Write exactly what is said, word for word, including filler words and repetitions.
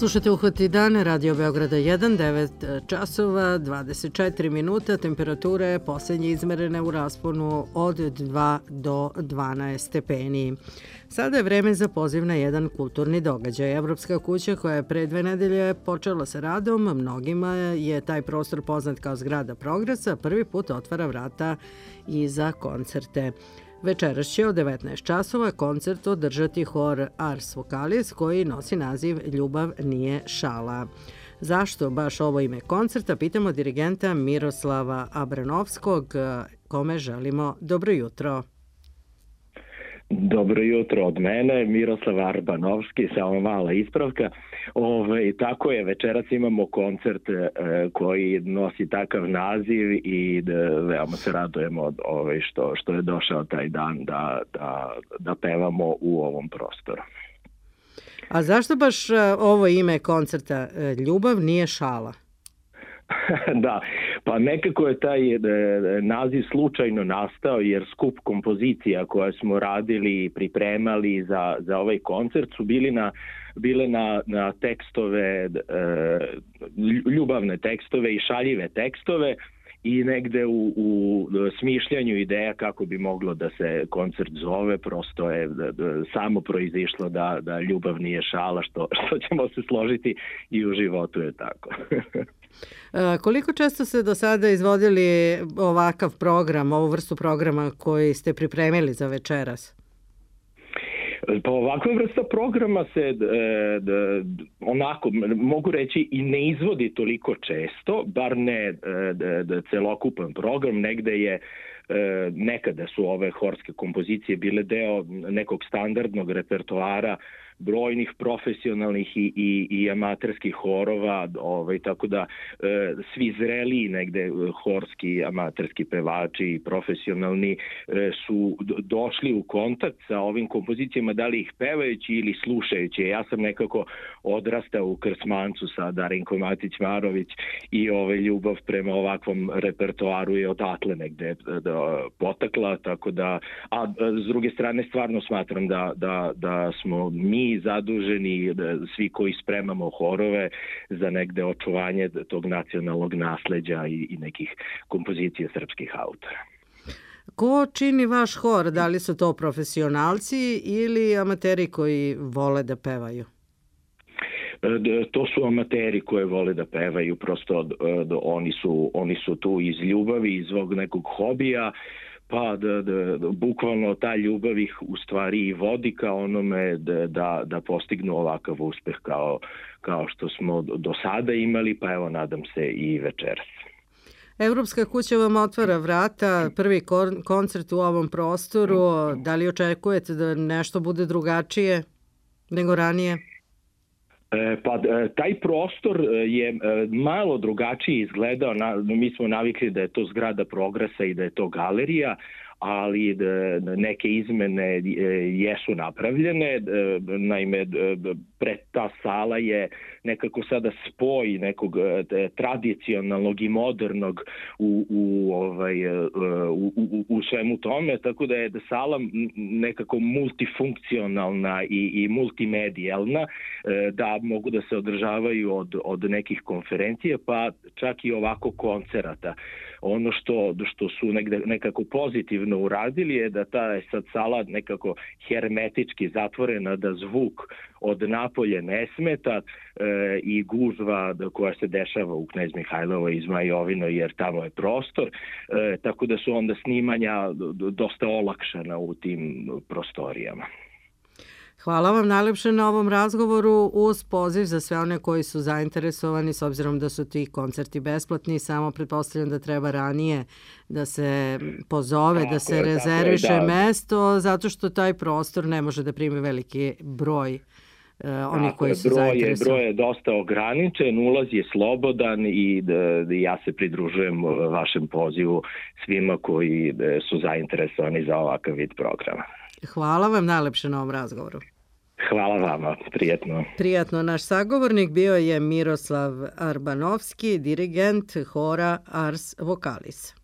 Slušate Uhvati dan, Radio Beograda jedan, devet časova, dvadeset četiri minuta, temperature posljednje izmerene u rasponu od dva do dvanaest stepeni. Sada je vreme za poziv na jedan kulturni događaj. Evropska kuća koja je pre dve nedelje počela sa radom, mnogima je taj prostor poznat kao zgrada Progresa, prvi put otvara vrata i za koncerte. Večeras će od devetnaest časova koncert održati hor Ars Vocalis koji nosi naziv Ljubav nije šala. Zašto baš ovo ime koncerta? Pitamo dirigenta Miroslava Abranovskog, kome želimo dobro jutro. Dobro jutro od mene, Miroslav Arbanovski, samo mala ispravka. Ove, tako je, večeras imamo koncert e, koji nosi takav naziv i da, veoma se radujemo od ove, što, što je došao taj dan da, da, da pevamo u ovom prostoru. A zašto baš ovo ime koncerta Ljubav nije šala? Da, pa nekako je taj e, naziv slučajno nastao jer skup kompozicija koje smo radili i pripremali za, za ovaj koncert su bili na, bile na, na tekstove, e, ljubavne tekstove i šaljive tekstove i negde u, u smišljanju ideja kako bi moglo da se koncert zove, prosto je da, da, samo proizišlo da, da ljubav nije šala, što, što ćemo se složiti i u životu je tako. Koliko često ste do sada izvodili ovakav program, ovu vrstu programa koji ste pripremili za večeras? Pa ovakva vrsta programa se e, d, onako, mogu reći, i ne izvodi toliko često, bar ne d, d, celokupan program, negde je e, nekada su ove horske kompozicije bile deo nekog standardnog repertoara brojnih profesionalnih i, i, i amaterskih horova, ovaj, tako da e, svi zreliji negde horski, amaterski pevači i profesionalni e, su došli u kontakt sa ovim kompozicijama, da li ih pevajući ili slušajući. Ja sam nekako odrastao u Krsmancu sa Darinkom Matić-Marović i ovaj, ljubav prema ovakvom repertoaru je odatle negde da, potakla, tako da, a s druge strane stvarno smatram da, da, da smo mi zaduženi, svi koji spremamo horove za negde očuvanje tog nacionalnog nasleđa i, i nekih kompozicija srpskih autora. Ko čini vaš hor? Da li su to profesionalci ili amateri koji vole da pevaju? To su amateri koje vole da pevaju, prosto oni su, oni su tu iz ljubavi, iz svog nekog hobija, pa da, da, da bukvalno ta ljubav ih u stvari i vodi ka onome da, da, da postignu ovakav uspeh kao, kao što smo do sada imali, pa evo nadam se i večeras. Evropska kuća vam otvara vrata, prvi koncert u ovom prostoru, da li očekujete da nešto bude drugačije nego ranije? Pa taj prostor je malo drugačije izgledao, mi smo navikli da je to zgrada Progresa i da je to galerija, ali neke izmene jesu napravljene. Naime, pred ta sala je nekako sada spoj nekog tradicionalnog i modernog u, u, ovaj, u, u, u svemu tome, tako da je sala nekako multifunkcionalna i, i multimedijalna, da mogu da se održavaju od, od nekih konferencija, pa čak i ovako koncerata. Ono što, što su negde, nekako pozitivno uradili je da ta je sad sala nekako hermetički zatvorena, da zvuk od napolje ne smeta e, i gužva koja se dešava u Knez Mihajlovoj i Zmajovinoj, jer tamo je prostor, e, tako da su onda snimanja dosta olakšana u tim prostorijama. Hvala vam najlepše na ovom razgovoru uz poziv za sve one koji su zainteresovani, s obzirom da su ti koncerti besplatni, samo pretpostavljam da treba ranije da se pozove, tako da se je, rezerviše je, da. mesto, zato što taj prostor ne može da primi veliki broj uh, onih koji su broj zainteresovani. Je, broj je dosta ograničen, ulaz je slobodan i da, da ja se pridružujem vašem pozivu svima koji da, su zainteresovani za ovakav vid programa. Hvala vam najlepše na ovom razgovoru. Hvala vama, prijatno. Prijatno. Naš sagovornik bio je Miroslav Arbanovski, dirigent hora Ars Vocalis.